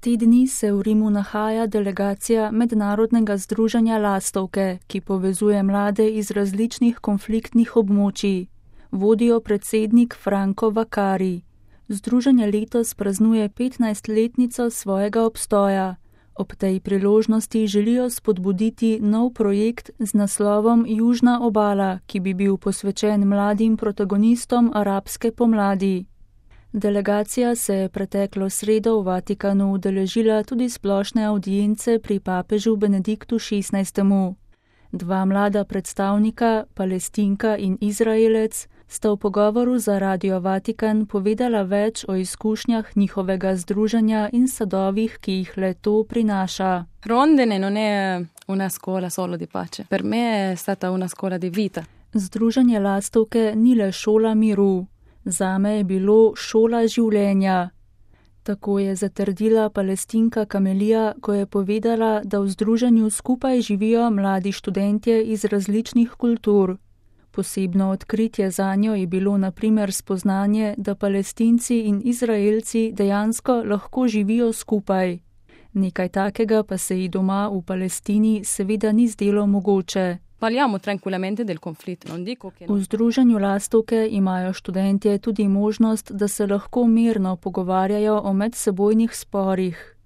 Te dni se v Rimu nahaja delegacija Mednarodnega združenja Lastovke, ki povezuje mlade iz različnih konfliktnih območij. Vodijo predsednik Franco Vaccari. Združenje letos praznuje 15-letnico svojega obstoja. Ob tej priložnosti želijo spodbuditi nov projekt z naslovom Južna obala, ki bi bil posvečen mladim protagonistom arabske pomladi. Delegacija se je preteklo sredo v Vatikanu udeležila tudi splošne avdience pri papežu Benediktu XVI. Dva mlada predstavnika, Palestinka in Izraelec, sta v pogovoru za Radio Vatikan povedala več o izkušnjah njihovega združenja in sadovih, ki jih le to prinaša. Rondine non è una scuola solo di pace. Per me è stata una scuola di vita. Združenje Lastovke ni le šola miru. Zame je bilo šola življenja. Tako je zatrdila Palestinka Kamelija, ko je povedala, da v združenju skupaj živijo mladi študentje iz različnih kultur. Posebno odkritje zanjo je bilo na primer spoznanje, da Palestinci in Izraelci dejansko lahko živijo skupaj. Nekaj takega pa se ji doma v Palestini seveda ni zdelo mogoče. Parliamo tranquillamente del conflitto, non dico che V združenju Lastovke imajo študentje tudi možnost, da se lahko mirno pogovarjajo o medsebojnih sporih.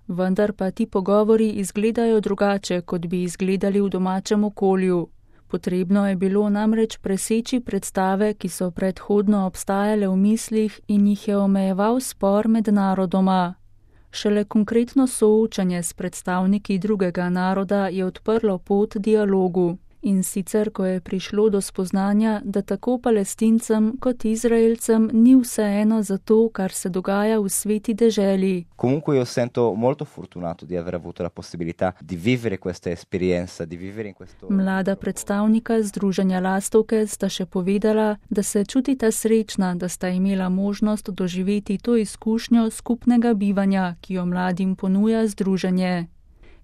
Vendar pa ti pogovori izgledajo drugače, kot bi izgledali v domačem okolju. Potrebno je bilo namreč preseči predstave, ki so predhodno obstajale v mislih in jih je omejeval spor med narodoma. Šele konkretno soočanje s predstavniki drugega naroda je odprlo pot dialogu. In sicer, ko je prišlo do spoznanja, da tako Palestincem kot Izraelcem ni vseeno za to, kar se dogaja v sveti deželi. Comunque io sento molto fortunato di aver avuto la possibilità di vivere questa esperienza, di vivere in questo... Mlada predstavnika Združenja Lastovke sta še povedala, da se čutita srečna, da sta imela možnost doživeti to izkušnjo skupnega bivanja, ki jo mladim ponuja združenje.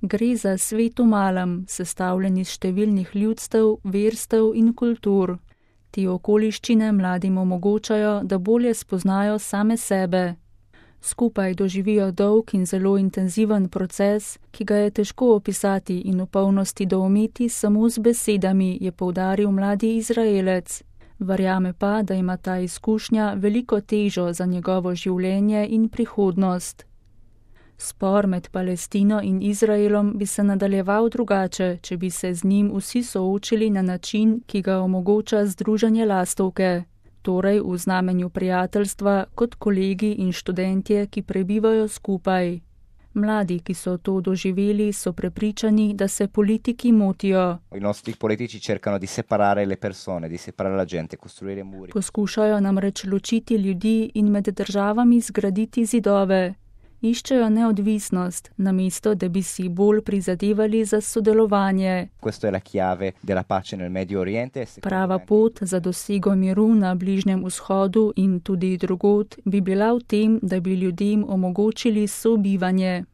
Gre za svet v malem, sestavljen iz številnih ljudstev, verstev in kultur. Te okoliščine mladim omogočajo, da bolje spoznajo same sebe. Skupaj doživijo dolg in zelo intenziven proces, ki ga je težko opisati in v polnosti doumeti samo z besedami, je poudaril mladi Izraelec. Verjame pa, da ima ta izkušnja veliko težo za njegovo življenje in prihodnost. Spor med Palestino in Izraelom bi se nadaljeval drugače, če bi se z njim vsi soočili na način, ki ga omogoča Združenje Lastovke, torej v znamenju prijateljstva kot kolegi in študentje, ki prebivajo skupaj. Mladi, ki so to doživeli, so prepričani, da se politiki motijo. I nostri politici cercano di separare le persone, di separare la gente, costruire muri. Poskušajo namreč ločiti ljudi in med državami zgraditi zidove. Iščejo neodvisnost, namesto da bi si bolj prizadevali za sodelovanje. Questa è la chiave della pace nel Medio Oriente. Prava pot za dosego miru na Bližnjem vzhodu in tudi drugod bi bila v tem, da bi ljudem omogočili sobivanje.